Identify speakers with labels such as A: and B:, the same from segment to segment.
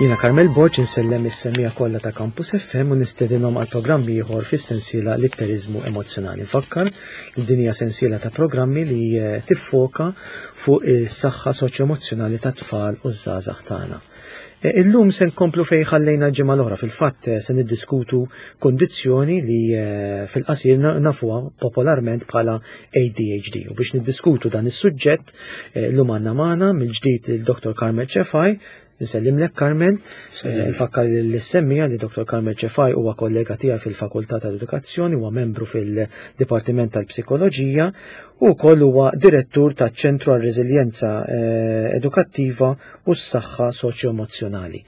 A: Jiena Carmel Borg insellem is-semmiegħa kollha ta' Campus FM u nistedinhom għal programm ieħor fis-sensiela Litteriżmu Emozzjonali. Nfakkar li din hija sensiela ta' programmi li eh, tiffoka fuq is-saħħa soċjoemozzjonali tat-tfal u ż-żgħażagħ tagħna. Eh, illum se nkomplu fejn ħallejna l-ġimgħa l-oħra fil-fatt eh, se niddiskutu kondizzjoni li eh, fil-qasir nafuha popolarment bħala ADHD. U biex niddiskutu dan is-suġġett illum għandna magħna mill-ġdid il-Dr. Carmel Cefai, Nsellimlek Carmen, nfakkar l-semmija li Dr. Carmel Cefai huwa kollega tiegħi fil-Fakultà tal-Edukazzjoni, huwa membru fil-Dipartiment tal-Psikoloġija u wkoll huwa direttur taċ-Ċentru għar-Reżiljenza Edukattiva u s-saħħa soċjo-emozzjonali.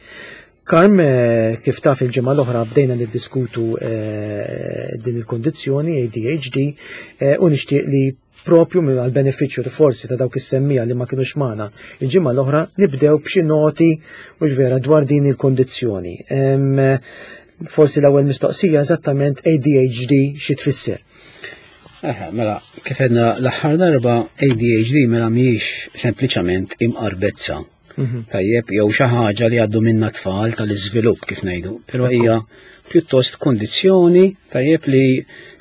A: Karm, eh, kif taf il-ġimgħa l-oħra bdejna niddiskutu eh, din il-kondizzjoni ADHD eh, u nixtieq li propju minn għal benefiċċju li forsi ta' dawk is-semmija li ma kienux magħna il-ġimgħa l-oħra nibdew b'xi noti u vera dwar din il-kondizzjoni. Forsi l-ewwel mistoqsija eżattament ADHD xi tfisser.
B: Aha, mela, kif għedna l-aħħar darba ADHD mela mhijiex sempliċement imqarbezza. Mhm. Tajjeb, jew xi ħaġa li għaddu minna tfal tal-iżvilupp kif ngħidu, però hija pjuttost kondizzjoni tajjeb li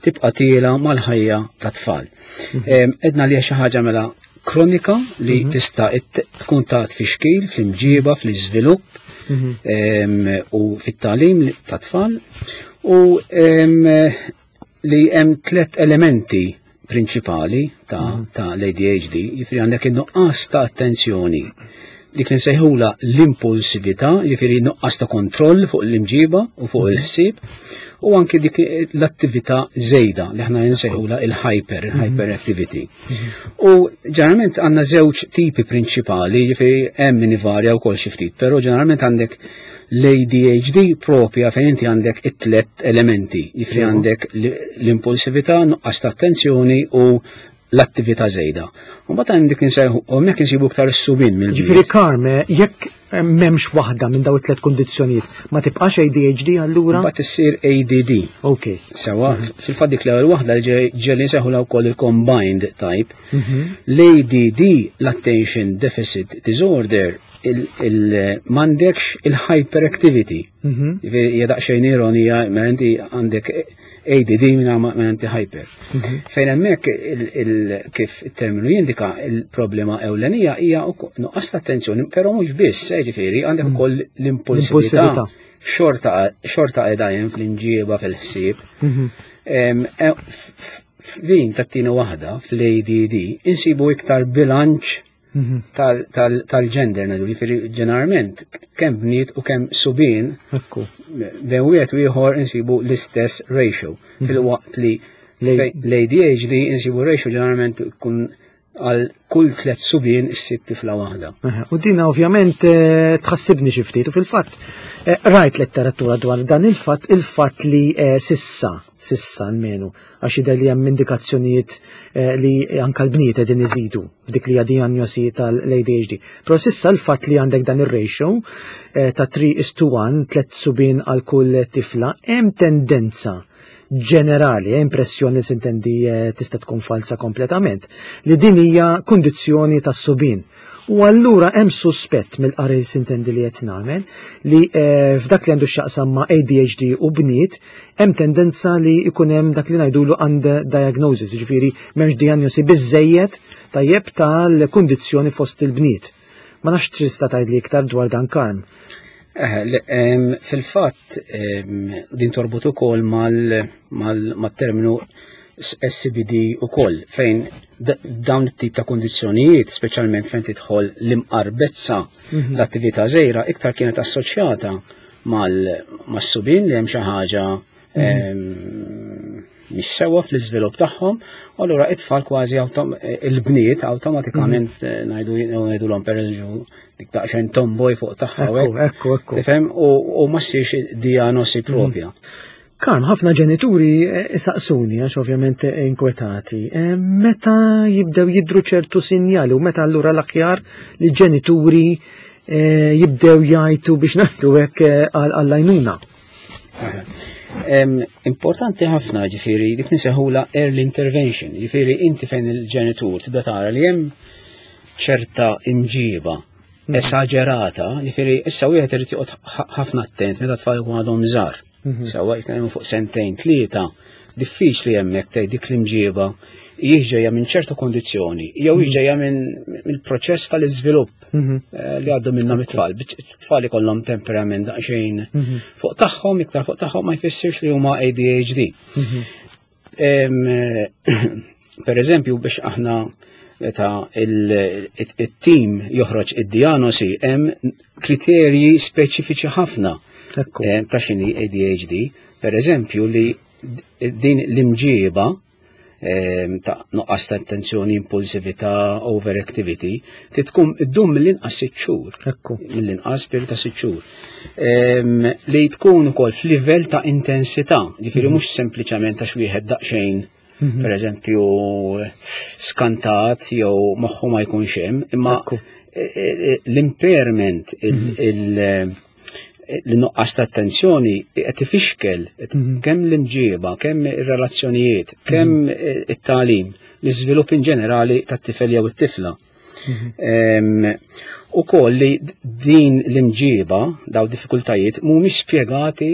B: tibqa' tiela mal-ħajja ta' tfal. Mhm. Edna li xi ħaġa mela kronika li mhm. tista' tkun ta' tfixkil fl-imġiba, fl-iżvilupp u fit-tagħlim ta' tfal u li hemm tlet elementi prinċipali ta', mm. ta l-ADHD, jiġifieri għandek in-nuqqas ta' attenzjoni, dik li nsejħula l-impulsività, jiġifieri nuqqas ta' kontroll fuq l-imġiba u fuq mm. il-ħsieb, u anki dik l-attività żejda li aħna nsejħula il-hyper, il-hyperactivity. Mm. U ġeneralment għandna żewġ tipi prinċipali, jiġifieri hemm min ivarja wkoll xi ftit, però ġeneralment għandek L-ADHD propja fejn inti għandek it-tlet elementi, jifri għandek l-impulsività, nuqqas ta' attenzjoni u l-attività żejda. U mbagħad għandek insejħu u hemmhekk insibu iktar is-subin mill
A: Ġifieri Karme, jekk m'hemmx waħda minn daw it-tlet kundizzjonijiet, ma tibqax ADHD allura?
B: Mbagħad issir ADD.
A: Ok.
B: Sewa, mhm. fil-fatt dik l-ewwel waħda li ġeli nsejħu wkoll il-combined type. Mhm. L-ADD, l-Attention Deficit Disorder, m'għandekx il-hyperactivity. Mhm. Hija daqsxejn ironija, ma inti għandek ADD minn ma inti hyper. Mhm. Fejn hemmhekk kif it-terminu jindika il-problema ewlenija hija nuqqas ta' attenzjoni, però mhux biss, eh, ġifieri għandek mhm. ukoll l-impulsività. Xorta xorta qiegħda hemm fl-inġieba fil-ħsieb. E, f'din tat-tieni waħda fl-ADD insibu iktar bilanċ Mhm. tal-gender ngħidu, jiġifieri ġeneralment kemm bniet u kemm subien bejn wieħed u ieħor insibu l-istess ratio. Mhm. Fil-waqt li l-ADHD insibu ratio ġeneralment tkun għal kull tlet subien issib tifla waħda.
A: U dina ovvjament eh, tħassibni xi ftit u fil-fatt eh, rajt letteratura dwar dan il-fatt il-fatt li eh, sissa, sissa almenu, għax jidher li hemm indikazzjonijiet eh, li anka l-bniet qegħdin iżidu f'dik li hija dijanjosi tal-ADHD. Però sissa l-fatt li għandek dan ir-ratio eh, ta' 3 is to 1, tlet subien għal kull tifla, hemm tendenza ġenerali, eh, impressjoni sintendi tista' tkun falsa kompletament, li din hija kundizzjoni tas-subien. U allura hemm suspett mill-qari sintendi li qed nagħmel li eh, f'dak li għandu x'jaqsam ma' ADHD u bniet hemm tendenza li jkun hemm dak li ngħidulu under diagnosis, jiġifieri m'hemmx diagnosi biżejjed tajjeb tal-kundizzjoni fost il-bniet. Ma nafx tista' tgħidli iktar dwar dan Karm.
B: Eh, fil-fatt din torbot ukoll mal-terminu SCBD ukoll fejn dawn it-tip ta' kondizzjonijiet, speċjalment fejn tidħol l-imqarbezza, mhm. l-attività żejra, iktar kienet assoċjata mas-subin li hemm xi ħaġa mhm. mhix sewwa fl-iżvilupp tagħhom, u allura it-tfal kważi il-bniet awtomatikament mhm. eh, ngħidu ngħidulhom pereżempju dik daqsxejn tomboy fuq tagħha.
A: Ekku, ekku.
B: Tifhem u ma ssirx diagnosi propja.
A: Karm, ħafna ġenituri eh, isaqsuni, għax ovvjament eh, inkwetati, eh, meta jibdew jidru ċertu sinjali u meta allura l-aħjar li ġenituri jibdew jgħajtu biex naħdu hekk għall-għajnuna.
B: Importanti ħafna ġifiri dik niseħula early intervention, ġifiri inti fejn il-ġenitur tibda tara li hemm ċerta imġiba. esaġerata, jiġifieri issa wieħed irid joqgħod ħafna attent meta tfal ikun għadhom żgħar. Sewwa jitkellmu fuq sentejn, tlieta, diffiċli hemmhekk tgħid dik l-imġieba ġejja minn ċertu kondizzjoni jew ġejja minn mill-proċess tal-iżvilupp li għaddu minnhom it-tfal. It-tfal ikollhom temperament daqsxejn fuq tagħhom, iktar fuq tagħhom ma jfissirx li huma ADHD. Per eżempju, biex aħna meta il-tim joħroġ id-diagnosi hemm kriterji speċifiċi ħafna ta' x'inhi ADHD. Per eżempju li din l-imġieba ta' nuqqas ta' attenzjoni, impulsività, overactivity, tkun iddum mill-inqas sitt xhur. Mill-inqas periodu ta' sitt xhur. Li tkun ukoll f'livell ta' intensità, ġifieri mhux sempliċement għax wieħed daqsxejn per eżempju skantat jew moħħu ma jkunx hemm, imma l-impairment, l-nuqqas ta' attenzjoni qed ifixkel kemm l-imġieba, kemm ir-relazzjonijiet, kemm it-tagħlim, l-iżvilupp in ġenerali tat-tifel jew it-tifla. U koll li din l-imġiba, daw diffikultajiet, mhumiex spjegati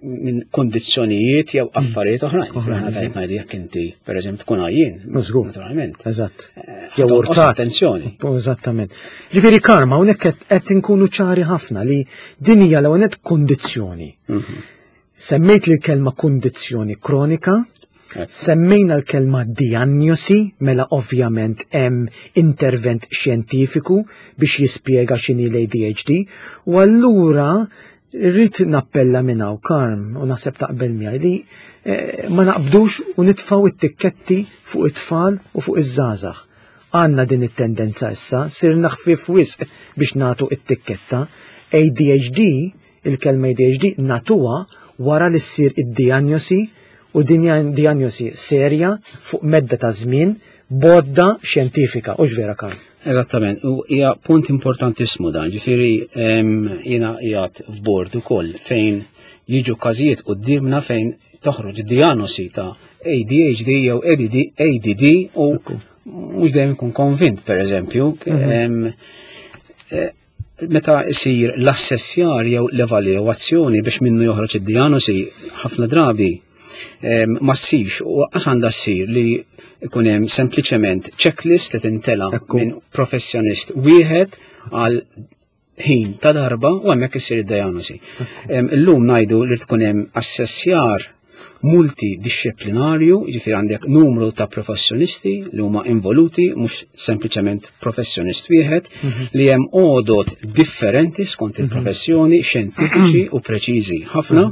B: minn kondizzjonijiet jew affarijiet oħrajn. Aħna tajt ngħidu jekk inti, per eżempju, tkun għajjien.
A: Naturalment. Eżatt.
B: Jew urtat. Attenzjoni.
A: Eżattament. Ġifieri karma, hawnhekk qed inkunu ċari ħafna li din hija l-ewwel kondizzjoni. Semmejt li l-kelma kondizzjoni kronika, semmejna l-kelma diagnosi, mela ovvjament hemm intervent xjentifiku biex jispjega x'inhi l-ADHD, u allura rrid nappella minn hawn Karm u naħseb taqbel miegħi li ma naqbdux u nitfgħu it-tikketti fuq it-tfal u fuq iż-żgħażagħ. Għandna din it-tendenza issa, sirna ħfief wisq biex nagħtu it-tikketta. ADHD, il-kelma ADHD natuha wara li ssir id-diagnosi u din diagnosi serja fuq medda ta' żmien bodda xjentifika, u vera Karm?
B: Eżattament, u hija punt importantissimu dan, ġifieri jiena qiegħed f'bord ukoll fejn jiġu każijiet quddiemna fejn toħroġ diagnosi ta' ADHD jew ADD, ADD u mhux dejjem ikun konvint, per eżempju, meta isir l-assessjar jew l-evalwazzjoni biex minnu joħroġ id-diagnosi, ħafna drabi ma ssirx u qas għandha ssir li ikun hemm sempliċement checklist li tintela minn professjonist wieħed għal ħin ta' darba u hemmhekk issir id-diagnosi. Illum ngħidu li tkun hemm assessjar multidisciplinarju, jiġifieri għandek numru ta' professjonisti li huma involuti, mhux sempliċement professjonist wieħed, li hemm għodot differenti skont il-professjoni, xjentifiċi u preċiżi ħafna.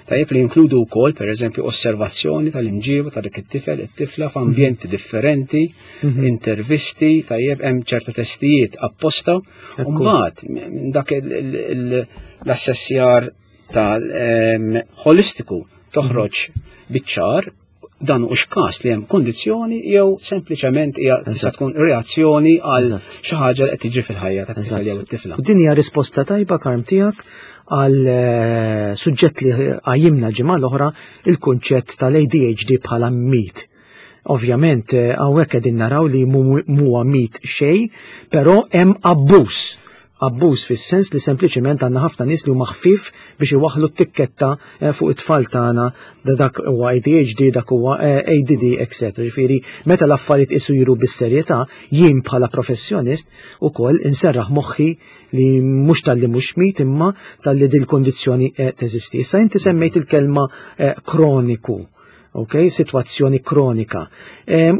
B: Tajjeb li jinkludu wkoll, per eżempju, osservazzjoni tal-imġiba ta' dik it-tifel, it-tifla f'ambjenti differenti, intervisti, tajjeb hemm ċerta testijiet apposta, u mbagħad minn dak l-assessjar tal-holistiku toħroġ biċ-ċar dan hux każ li hemm kondizzjoni jew sempliċement hija tista' tkun reazzjoni għal xi ħaġa li qed tiġri fil-ħajja tat-tifel jew it-tifla.
A: U din hija risposta tajba Karm tiegħek għal suġġett li qajjimna l-ġimgħa l-oħra, il-kunċett tal-ADHD bħala mit. Ovvjament hawnhekk qegħdin naraw li muwa mit xejn, però hemm abbuż. Abbuż fis-sens li sempliċement għandna ħafna nies li huma ħfief biex iwaħħlu t-tikketta fuq it-tfal tagħna da dak huwa ADHD, dak huwa ADD, et cetera. Ġifieri meta l-affarijiet isiru bis-serjetà, jien bħala professjonist ukoll inserraħ moħħi li mhux talli mhux mit imma talli dil-kondizzjoni teżisti. Issa inti semmejt il-kelma kroniku. Ok, situazzjoni kronika.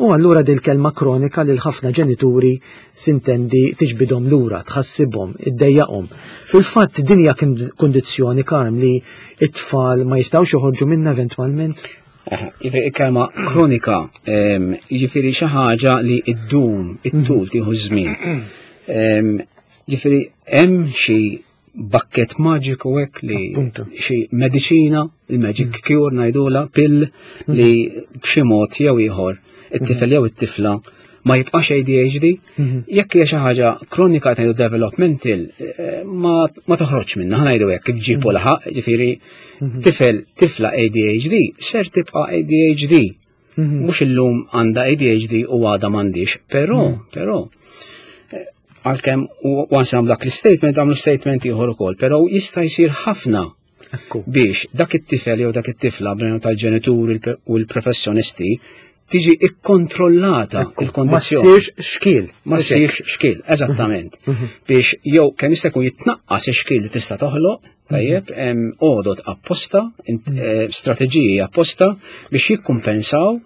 A: U allura dil-kelma kronika lil ħafna ġenituri sintendi tiġbidhom lura, tħassibhom, iddejjaqhom. Fil-fatt din hija kundizzjoni Karm li it-tfal ma jistgħux joħorġu minnha eventwalment?
B: Jiġifieri il-kelma kronika, jiġifieri xi ħaġa li ddum, it-tul tieħu żmien. Jiġifieri hemm xi bakket maġiku hekk li xi mediċina, il-magic cure ngħidula, pill li b'xi mod jew ieħor it-tifel jew it-tifla ma jibqax ADHD, jekk hija xi ħaġa kronika ngħidu developmental, ma toħroġ minnha, ħa ngħidu hekk kif ġibu laħaq, ġifieri tifel tifla ADHD ser tibqa' ADHD. Mhux illum għandha ADHD u għadha m'għandix, però Għalkemm once nagħmlu dak l-statement għamlu statement ieħor ukoll, però jista' jsir ħafna biex dak it-tifel jew dak it-tifla bejn tal-ġenituri u l-professjonisti tiġi ikkontrollata il-kondizzjoni.
A: Ma ssirx xkil.
B: Ma ssirx xkil, eżattament. Mhm. Mhm. Biex jew kemm jista' jkun jitnaqqas ix-xkil li tista' toħloq, tajjeb, hemm għodod apposta, eh, strateġiji apposta biex jikkumpensaw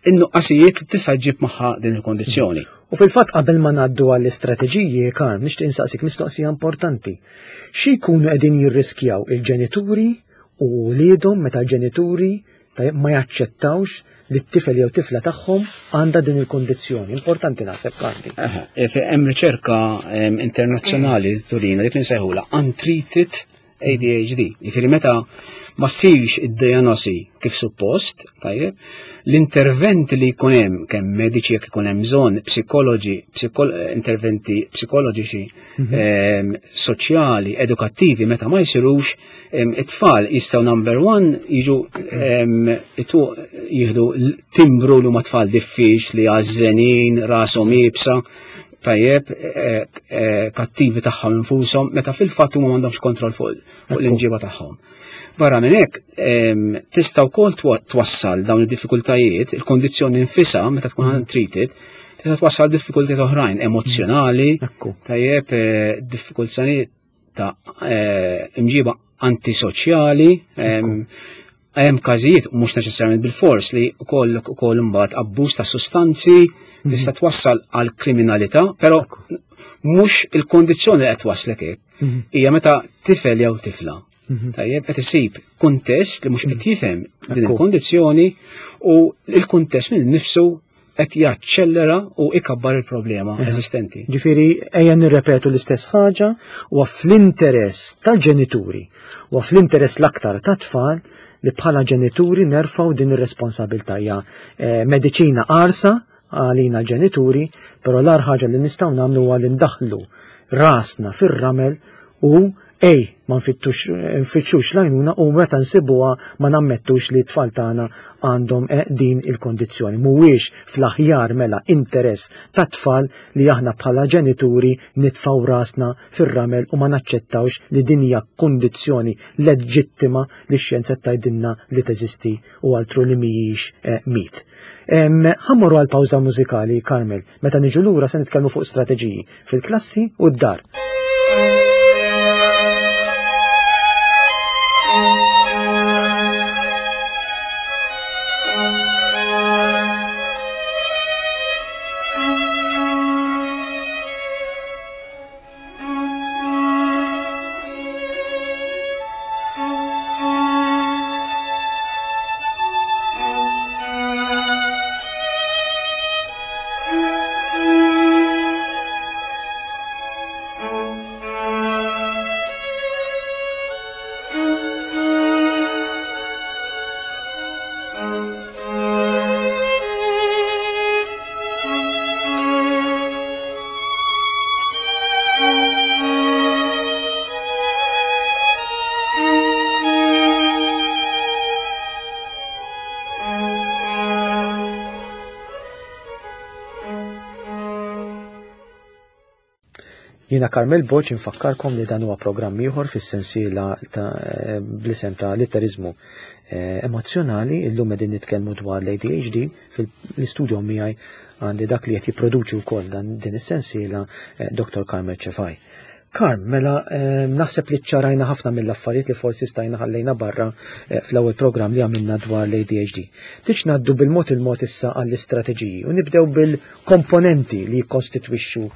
B: in-nuqqasijiet li tista' ġġib magħha din il-kondizzjoni.
A: U fil-fatt qabel ma ngħaddu għall-istrateġiji, Karm, nixtieq insaqsik mistoqsija importanti. Xi jkunu qegħdin jirriskjaw il-ġenituri u wliedhom meta l-ġenituri ma jaċċettawx li t-tifel jew tifla tagħhom għandha din il-kondizzjoni. Importanti naħseb Karli.
B: E, hemm riċerka internazzjonali turina dik li nsejħula untreated ADHD. Jiġifieri meta ma ssirx id-diagnosi kif suppost, tajjeb, l-interventi li jkun hemm kemm mediċi jekk ikun hemm bżonn, psikoloġi, interventi psikoloġiċi, mhm. ehm, soċjali, edukattivi meta ma jsirux, ehm, it-tfal jistgħu number one jiġu ehm, jieħdu timbru li huma tfal diffiċli, għażżenin, rashom iebsa tajjeb, eh, eh, kattivi tagħhom infushom, meta fil-fatt huma m'għandhomx kontroll fuq l-imġiba tagħhom. Barra minn hekk, tista' wkoll twassal dawn id-diffikultajiet, il-kondizzjoni nfisha meta tkun mm. untreated, tista' twassal diffikultajiet oħrajn emozjonali, tajjeb, eh, diffikultajiet ta' imġiba antisoċjali, hemm każijiet mhux neċessarjament bil-fors li wkoll ukoll imbagħad abbuż ta' sustanzi mhm. tista' twassal għal kriminalità, però mhux il-kondizzjoni li qed twaslek hekk. Mhm. Hija meta tifel jew tifla. Mhm. Tajjeb qed isib kuntest li mhux qed jifhem din il-kondizzjoni u l-kuntest minn nifsu qed jaċċellera u ikabbar il-problema eżistenti.
A: Ġifieri ejja nirrepetu l-istess ħaġa u fl-interess tal-ġenituri u fl-interess l-aktar tat-tfal li bħala ġenituri nerfgħu din ir-responsabilità hija eh, mediċina qarsa għalina l-ġenituri, però l-ar ħaġa li nistgħu nagħmlu huwa li ndaħlu rasna fir-ramel u Ej, ma nfittxux l-għajnuna u meta nsibuha ma nammettux li t-tfal tagħna għandhom eh, din il-kondizzjoni. Mhuwiex fl-aħjar mela interess tat-tfal li aħna bħala ġenituri nitfgħu rasna fir-ramel u ma naċċettawx li din hija kundizzjoni leġittima li x-xjenza tgħidilna li teżisti u altru li mhijiex eh, mit. Ħa mmorru għal pawża mużikali, Carmel. Meta niġu lura se nitkellmu fuq strateġiji fil-klassi u d-dar. Jiena Carmel Boċ infakkarkom li dan huwa programm ieħor fis-sensiela ta' eh, bl-isem ta' litterizmu eh, emozzjonali illum qegħdin nitkellmu dwar l-ADHD fil-istudio miegħi għandi dak li qed jipproduċi wkoll dan din is-sensiela eh, Dr. Carmel Cefai. Karm, mela eh, naħseb li ċarajna ħafna mill-affarijiet li forsi stajna ħallejna barra eh, fl-ewwel programm li għamilna dwar l-ADHD. Tiġ ngħaddu bil-mod il-mod issa għall-istrateġiji u nibdew bil-komponenti li jikkostitwixxu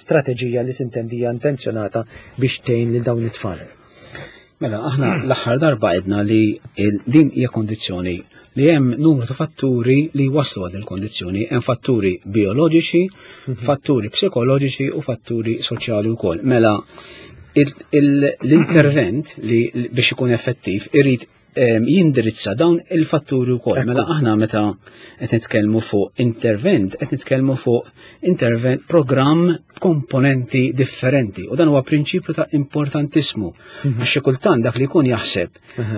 A: strateġija li sintendija intenzjonata biex tgħin lil dawn it-tfal.
B: Mela, aħna l-aħħar darba għedna li din hija kondizzjoni li hemm numru ta' fatturi li waslu għal il-kondizzjoni, hemm fatturi bioloġiċi, mhm. fatturi psikoloġiċi u fatturi soċjali wkoll. Mela, l-intervent li biex ikun effettiv irid jindirizza dawn il-fatturi wkoll. Mela aħna meta qed nitkellmu fuq intervent, qed nitkellmu fuq intervent programm komponenti differenti. U dan huwa prinċipju ta' importantissimu. Mhm. Għax xi kultant dak li jkun jaħseb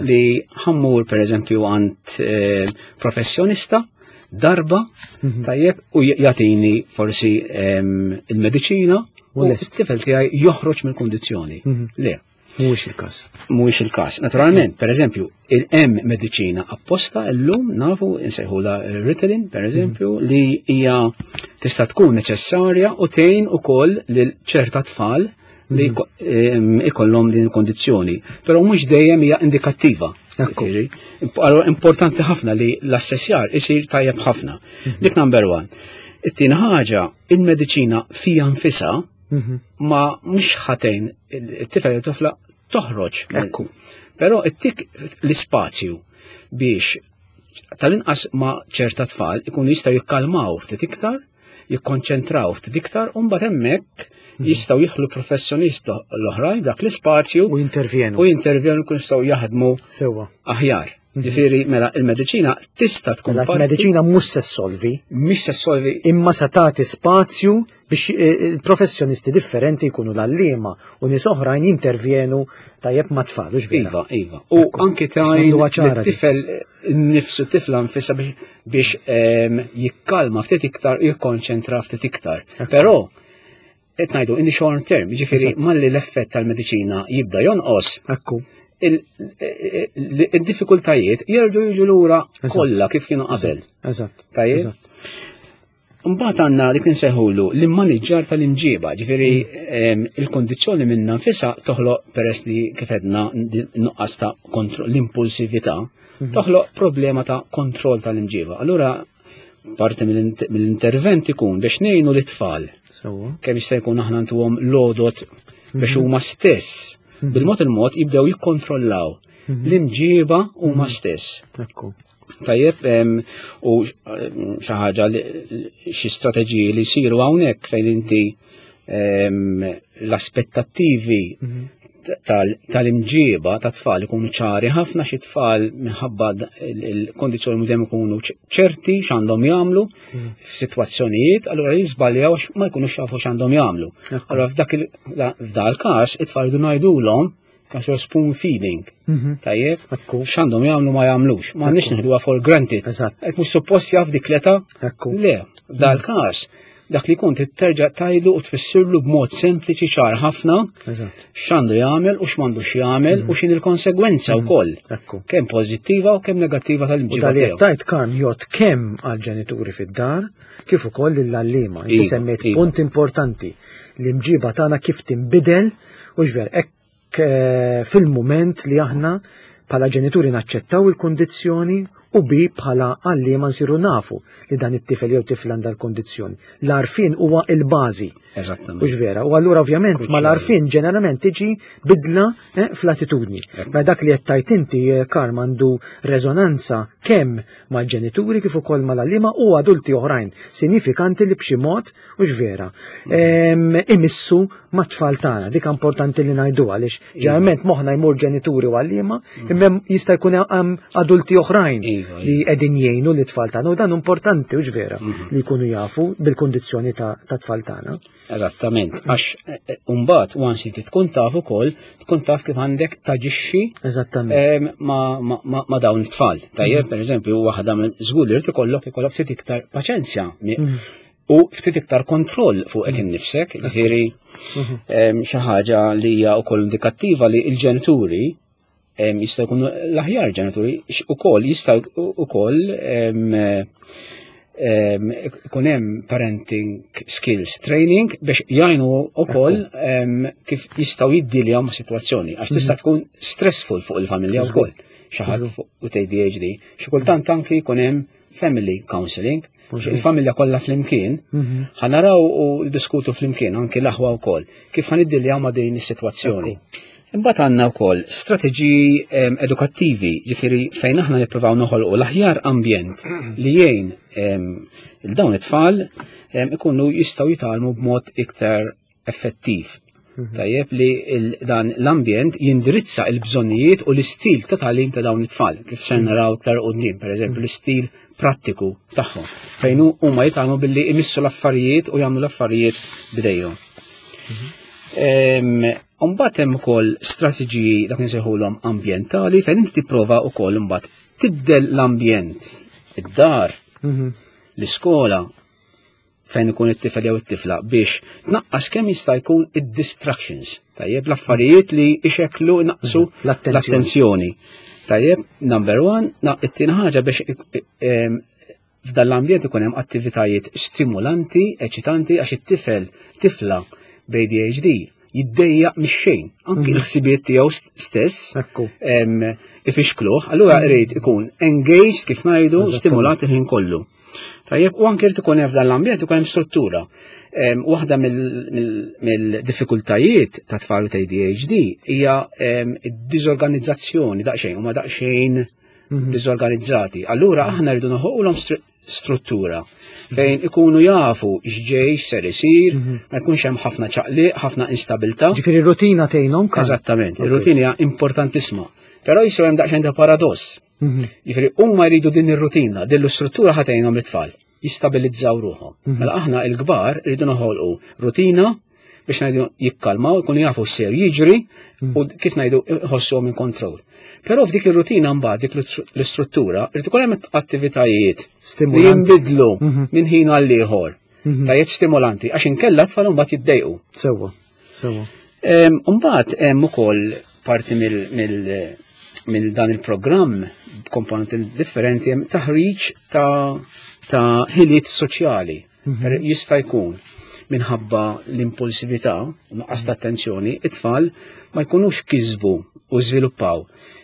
B: li ħammur pereżempju għand eh, professjonista. darba, tajjeb, u jagħtini forsi il-mediċina u l-tifel tiegħi joħroġ mill-kundizzjoni. Le.
A: Mhuwiex il-każ.
B: Mhuwiex il-każ. Naturalment, per eżempju, il-hemm mediċina apposta llum nafu insejħula Ritalin, per eżempju, li hija tista' tkun neċessarja u tgħin ukoll lil ċerta tfal li ikollhom din il-kondizzjoni. Però mhux dejjem hija indikattiva. Allora importanti ħafna li l-assessjar isir tajjeb ħafna. Dik number one. It-tieni ħaġa, il-mediċina fija nfisha ma mhux ħatejn it-tifel jew tifla toħroġ.
A: Ekku.
B: Però ittik l-ispazju biex tal-inqas ma ċerta tfal ikunu jistgħu jikkalmaw ftit iktar, jikkonċentraw ftit iktar, u mbagħad hemmhekk jistgħu jidħlu professjonist l-oħrajn dak l-ispazju
A: U jintervjenu.
B: u jintervjenu kun jistgħu jaħdmu
A: Sewwa.
B: aħjar. Ġifieri mela il-mediċina tista' tkun
A: Mela
B: parti
A: l-mediċina mhux se ssolvi,
B: mhix se ssolvi
A: imma se tagħti spazju biex il-professjonisti differenti jkunu l-għalliema u nies oħrajn jintervjenu tajjeb ma' tfal, hux vera?
B: Iva, iva. U
A: Ekku,
B: anki
A: biex
B: tajn
A: nagħmluha ċara dik.
B: tifel nifsu tifla nfisha biex jikkalma ftit iktar, jikkonċentra ftit iktar. Però qed ngħidu in the short term, jiġifieri malli l-effett tal-mediċina jibda jonqos. Il-diffikultajiet jerġgħu jiġu lura kollha kif kienu qabel. Tajjeb? Mbagħad għandna dik insejħulu l-immaniġġar tal-imġiba, ġifieri il-kondizzjoni minna nfisha toħloq peress li kif għedna nuqqas ta' l-impulsività, toħloq problema ta' kontroll tal-imġiba. Allura parti mill-intervent ikun biex ngħinu l-tfal. Kemm jista' jkun aħna ntuhom lodot biex huma stess bil-mod il-mod jibdew jikkontrollaw l-imġiba huma stess. Tajjeb, u xi ħaġa li xi strateġiji li jsiru hawnhekk fejn inti l-aspettattivi tal-imġiba ta' tfal ikunu ċari ħafna, xi tfal minħabba il-kondizzjoni mhux dejjem ikunu ċerti x'għandhom jagħmlu f'sitwazzjonijiet, allura jiżbaljaw għax ma jkunux jafu x'għandhom jagħmlu. Allura f'dal każ it-tfal jridu ngħidulhom każ spoon feeding. Tajjeb, x'għandhom jagħmlu ma jagħmlux. Ma għandniex nieħduha for granted. Qed mhux suppost jaf dik l-età? Le, f'dal każ dak li kont terġa' tajlu u tfissirlu b'mod sempliċi ċar ħafna x'għandu jagħmel u x'm'għandux jagħmel u x'inhi l-konsegwenza wkoll. Kemm pożittiva u kemm negattiva tal-imġiba
A: U dal
B: tiegħu.
A: Tajt Karm jgħod kemm għall-ġenituri fid-dar kif ukoll lill-għalliema. Inti semmejt punt importanti, l-imġiba tagħna kif tinbidel u x'ver hekk fil-mument li aħna bħala ġenituri naċċettaw il-kundizzjoni u bi bħala għalliema nsiru nafu li dan it-tifel jew tifla għandha l-kundizzjoni. L-għarfien huwa il-bażi. Hux vera? U allura ovvjament mal-għarfien ġeneralment tiġi bidla fl-attitudni. Ma dak li qed tajt inti, Karm, għandu reżonanza kemm mal-ġenituri kif ukoll mal-għalliema u adulti oħrajn sinifikanti li b'xi mod, hux vera, imissu mat-tfal tagħna. Dik importanti li ngħidu għaliex ġeneralment moħħna jmur ġenituri u għalliema, imma jista' jkun hemm adulti oħrajn li qegħdin jgħinu lit-tfal tagħna, u dan importanti, hux vera, li jkunu jafu bil-kundizzjoni ta' tfal tagħna.
B: Eżattament, għax mbagħad once inti tkun taf ukoll, tkun taf kif għandek taġixxi ma' dawn it-tfal. Tajjeb, per eżempju, waħda minn żgur li rid ikollok ftit iktar paċenzja u ftit iktar kontroll fuq innifsek, ġifieri, xi ħaġa li hija wkoll indikattiva li l-ġenituri jistgħu jkunu l-aħjar ġenituri ukoll jistgħu ukoll ikun hemm parenting skills training biex jgħinu ukoll kif jistgħu jiddiljaw ma' sitwazzjoni, għax tista' tkun stressful fuq il-familja wkoll. Xi ħadd fuq ADHD, xi kultant anki jkun hemm family counseling, il-familja kollha flimkien, ħanaraw u diskutu flimkien anki l-aħwa wkoll kif ħaniddiljaw ma' din is-sitwazzjoni. Imbagħad għandna wkoll strateġiji edukattivi, ġifieri fejn aħna nippruvaw noħolqu l-aħjar ambjent li jgħin il dawn it-tfal ikunu jistgħu jitgħallmu b'mod iktar effettiv. Tajjeb li dan l-ambjent jindirizza l-bżonnijiet u l-istil ta' tagħlim ta' dawn it-tfal, kif se naraw iktar quddiem, pereżempju l-istil prattiku tagħhom, fejn huma jitgħallmu billi jmissu l-affarijiet u jagħmlu l-affarijiet b'idejhom. Imbagħad hemm ukoll strateġiji dak insejħulhom ambjentali fejn inti tipprova wkoll imbagħad tibdel l-ambjent, id-dar. L-iskola fejn ikun it-tifel jew it-tifla biex tnaqqas kemm jista' jkun id-distractions. Tajjeb, l-affarijiet li ixekklu naqsu l-attenzjoni. Tajjeb, number one, it-tieni ħaġa biex f'dan l-ambjent ikun hemm attivitajiet stimulanti, eċitanti għax it-tifel, tifla b'ADHD jiddejjaq mix-xejn, anki l-ħsibiet tiegħu stess ifixkluh, allura irid ikun engaged kif ngħidu, stimulat il-ħin kollu. Tajjeb, u anke irid ikun hemm f'dan l-ambjent ikun hemm struttura. Waħda mill-diffikultajiet ta' tfal ta' ADHD hija d-diżorganizzazzjoni daqsxejn, huma daqsxejn diżorganizzati. Allura aħna rridu noħolqulhom struttura fejn ikunu jafu x'ġej ser isir, ma jkunx hemm ħafna ċaqliq, ħafna instabilità.
A: Ġifieri rutina tgħinhom.
B: Eżattament, ir-rutina hija importantissima. Però jisgħu hemm daqsxejn ta' paradoss. Jiġifieri huma jridu din ir-rutina, din l-istruttura ħa tgħinhom it-tfal jistabilizzaw ruħhom. Mela aħna l-kbar rridu noħolqu rutina biex ngħidu jikkalmaw, ikunu jafu x'ser jiġri u kif ngħidu jħossuhom in control. Però f'dik ir-rutina mbagħad dik l-istruttura irid ikun hemm attivitajiet li jinbidlu minn ħin għal ieħor. Tajjeb stimolanti, għax inkella tfal mbagħad jiddejqu.
A: Sewwa, sewwa.
B: Mbagħad hemm ukoll parti mill dan il-programm b'komponenti differenti hemm taħriġ ta' ħiliet soċjali. Jista' jkun minħabba l-impulsività, nuqqas ta' attenzjoni, it-tfal ma jkunux kisbu u żviluppaw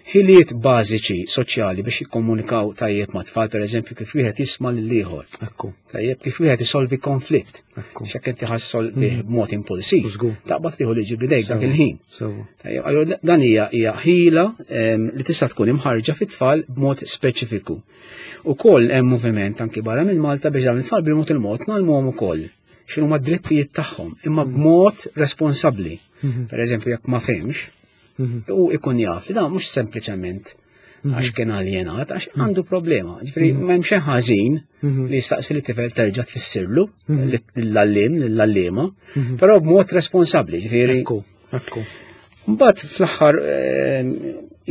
B: ħiliet bażiċi soċjali biex jikkomunikaw tajjeb ma' tfal, per eżempju, kif wieħed jisma' lil ieħor. Tajjeb, kif wieħed isolvi konflitt. X'hekk inti ħassolvi b'mod impulsiv. Taqbad tieħu liġi bidejk dak il-ħin. Tajjeb, allura dan hija ħila li tista' tkun imħarġa fit-tfal b'mod speċifiku. Ukoll hemm moviment anki barra minn Malta biex dawn it-tfal bil-mod il-mod ngħallmuhom ukoll x'inhuma d-drittijiet tagħhom, imma b'mod responsabbli. Per eżempju, jekk ma fehmx, u ikun jaf li dan mhux sempliċement għax kien aljenat, għax għandu problema. Ġifieri m'hemm xejn ħażin li jistaqsi li tifel terġa' tfissirlu lill-għalliem, lill-għalliema, però b'mod responsabbli, ġifieri.
A: Ekku.
B: Mbagħad fl-aħħar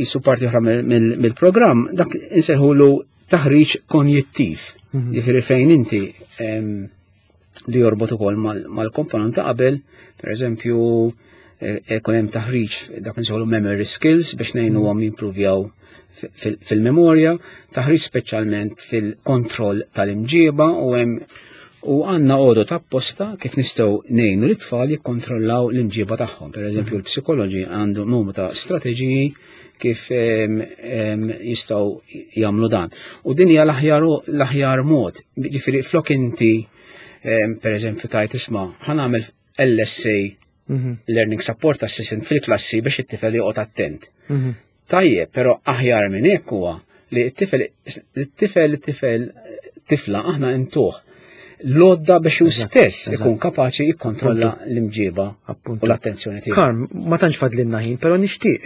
B: jisu parti oħra mill-programm, dak insejħulu taħriġ konjittiv. Ġifieri fejn inti li jorbot ukoll mal-komponent ta' qabel, per eżempju, ikun hemm taħriġ dak insejħulu memory skills biex ngħinuhom jimpruvjaw fil-memorja, taħriġ speċjalment fil-kontroll tal-imġiba u hemm u għandna għodod apposta kif nistgħu ngħinu l-tfal jikkontrollaw l-imġiba tagħhom. Per eżempju, l-psikoloġi għandu numru ta' strateġiji kif jistgħu jagħmlu dan. U din hija l-aħjar mod. Ġifieri flok inti per eżempju tajt isma' ħa nagħmel LSA Learning Support Assistant fil-klassi biex it-tifel joqgħod attent. Tajjeb, però aħjar minn hekk huwa li t-tifel, it-tifel, it-tifel, tifla aħna intuh l-għodda biex hu stess ikun kapaċi jikkontrolla l-imġiba u l-attenzjoni tiegħu.
A: Karm, ma tantx fadlilna ħin, però nixtieq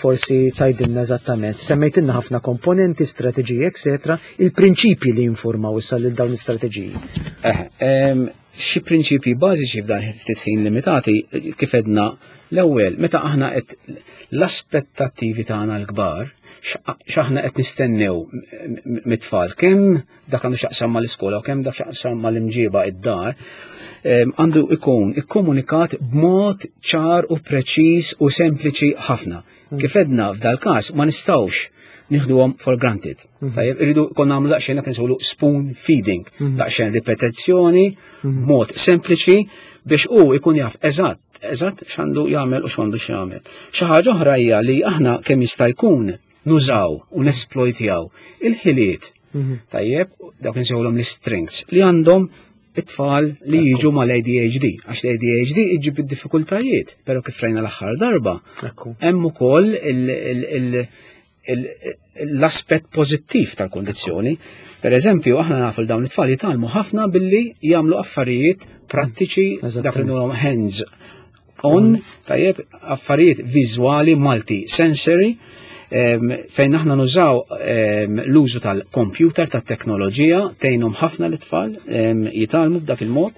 A: forsi tgħidilna eżattament, semmejtilna ħafna komponenti, strateġiji, eccetera, il-prinċipji li jinformaw issa lil dawn l-istrateġiji.
B: Xi prinċipji bażiċi f'dan ftit ħin limitati, kif edna l-ewwel, meta aħna qed l-aspettattivi tagħna l-kbar, x'aħna qed nistennew mit-tfal, kemm dak għandu x'jaqsam mal-iskola u kemm dak x'jaqsam mal-imġiba id-dar, għandu ikun ikkomunikat b'mod ċar u preċiż u sempliċi ħafna. Kif edna f'dal każ ma nistgħux nieħduhom for granted. Tajjeb, irridu kon nagħmlu daqsxejn dak insejħulu spoon feeding, daqsxejn ripetizzjoni, b'mod sempliċi biex hu ikun jaf eżatt x'għandu jagħmel u x'għandu x'jagħmel. Xi ħaġa oħra hija li aħna kemm jista' jkun nużaw u nesploitjaw il-ħiliet. Tajjeb, dak insejħulhom l-strengths li għandhom it-tfal li jiġu mal-ADHD, għax l-ADHD iġib id-diffikultajiet, però kif rajna l-aħħar darba, hemm ukoll l-aspett pożittiv tal-kondizzjoni. Per eżempju, aħna nafu l dawn it-tfal jitgħallmu ħafna billi jagħmlu affarijiet prattiċi, dak li ngħidulhom hands on, tajjeb, affarijiet viżwali, multi-sensory, fejn aħna nużaw l-użu tal-computer, tat-teknoloġija, tgħinhom ħafna l-tfal jitgħallmu b'dak il-mod.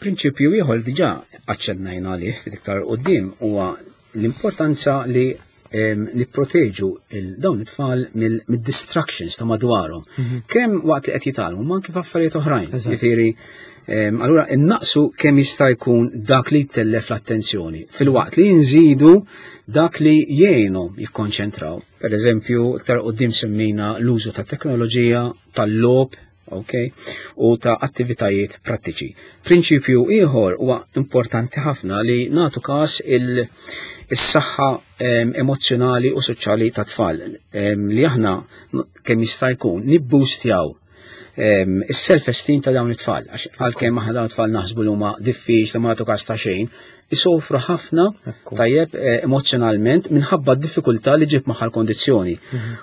B: Prinċipju ieħor diġà aċċennajna għalih ftit iktar quddiem huwa l-importanza li Nipproteġu dawn it-tfal mid-distractions ta' madwarhom. Kemm waqt li qed jitgħallmu, ma anke f'affarijiet oħrajn. Jiġifieri, allura innaqsu kemm jista' jkun dak li jtellef l-attenzjoni, filwaqt li nżidu dak li jgħinhom jikkonċentraw. Per eżempju, iktar qudiem semmejna l-użu ta' teknoloġija, tal-logħob, ok, u ta' attivitajiet prattiċi. Prinċipju ieħor huwa importanti ħafna li nagħtu każ is-saħħa emozzjonali u soċjali ta' tfal li aħna kemm jista' jkun nibboostjaw is-self-esteem ta' dawn it-tfal. Għax għalkemm aħna dawn it-tfal naħsbu li huma diffiċli ma nagħtu każ ta' xejn, isofru ħafna tajjeb emozzjonalment minħabba d-diffikultà li ġib magħha l-kondizzjoni.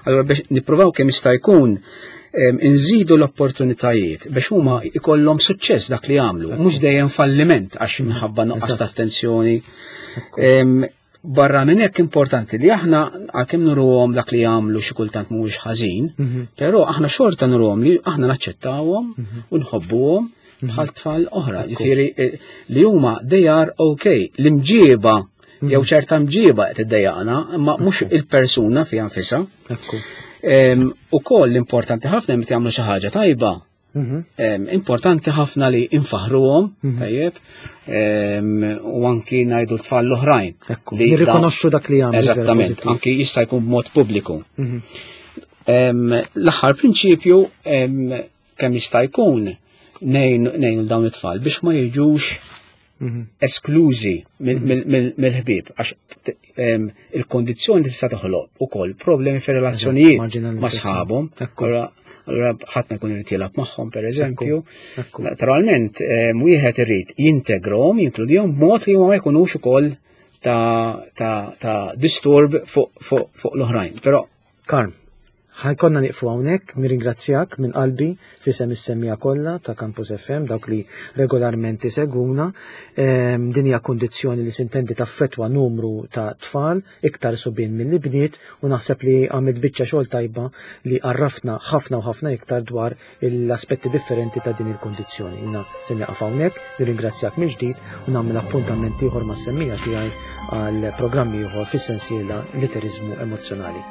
B: Allura biex nippruvaw kemm jista' jkun nżidu l-opportunitajiet biex huma ikollhom suċċess dak li jagħmlu, mhux dejjem falliment għax minħabba nuqqas ta' attenzjoni. Barra minn hekk importanti li aħna għalkemm nuruhom dak li jagħmlu xi kultant mhuwiex ħażin, però aħna xorta nuruhom li aħna naċċettawhom u nħobbuhom bħal tfal oħra. Jiġifieri li huma they are okay. L-imġieba jew ċerta mġieba qed iddejjaqna, imma mhux il-persuna fiha nfisha. Ukoll importanti ħafna meta jagħmlu xi ħaġa tajba. Importanti ħafna li infaħruhom, tajjeb, u anki ngħidu t-tfal l-oħrajn.
A: Nirrikonoxxu dak li jagħmlu.
B: Eżattament, anki jista' jkun b'mod pubbliku. L-aħħar prinċipju kemm jista' jkun ngħinu dawn it-tfal biex ma jiġux esklużi mill-ħbieb, għax il-kondizzjoni tista' toħloq ukoll problemi fir-relazzjonijiet ma' sħabhom. Allura ħadd ma jkun irid jilgħab magħhom pereżempju. Naturalment, wieħed irid jintegrahom, jinkludihom b'mod li huma ma jkunux ukoll ta' disturb fuq l-oħrajn. Però
A: Karm, ħa jkollna nieqfu hawnhekk, nirringrazzjak minn qalbi f'isem is-semmiegħa kollha ta' Campus FM, dawk li regolarment isegwuna. Din hija kundizzjoni li sintendi taffettwa numru ta' tfal, iktar subien milli bniet, u naħseb li għamilt biċċa xogħol tajba li għarraftna ħafna u ħafna iktar dwar l-aspetti differenti ta' din il-kundizzjoni. Jiena se nieqaf hawnhekk, nirringrazzjak mill-ġdid u nagħmel appuntament ieħor mas-semmiegħa tiegħi għal programm ieħor fis-sensiela Literiżmu Emozzjonali.